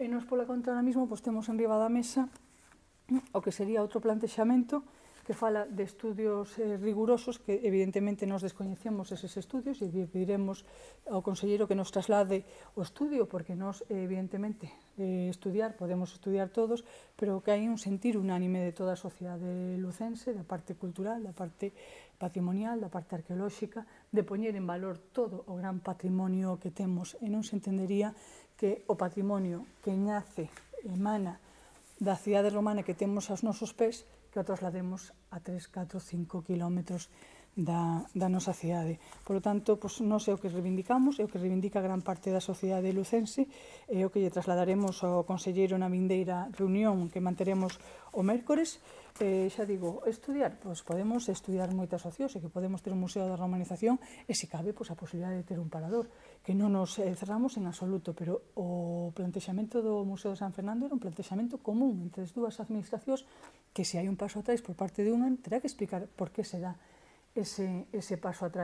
E nos, pola contra, ahora mesmo, temos en riba da mesa o que sería outro plantexamento que fala de estudios rigurosos que evidentemente nos descoñecemos eses estudios e pediremos ao conselleiro que nos traslade o estudio porque nos evidentemente estudiar, podemos estudiar todos, pero que hai un sentir unánime de toda a sociedade lucense, da parte cultural, da parte patrimonial, da parte arqueolóxica, de poñer en valor todo o gran patrimonio que temos e non se entendería que o patrimonio que nace, emana da cidade romana que temos aos nosos pés, que o traslademos a 3, 4, 5 kilómetros da nosa cidade. Por lo tanto, nós é o que reivindicamos, é o que reivindica gran parte da sociedade lucense, é o que lle trasladaremos ao conselleiro na vindeira reunión que manteremos o mércores. Xa digo, estudiar, podemos estudiar moitas opcións e que podemos ter un museo da romanización e, se cabe, a posibilidade de ter un parador, que non nos cerramos en absoluto, pero o plantexamento do Museo de San Fernando era un plantexamento común entre as dúas administracións que, se hai un paso atrás por parte de unha, terá que explicar por que se dá ese paso atrás.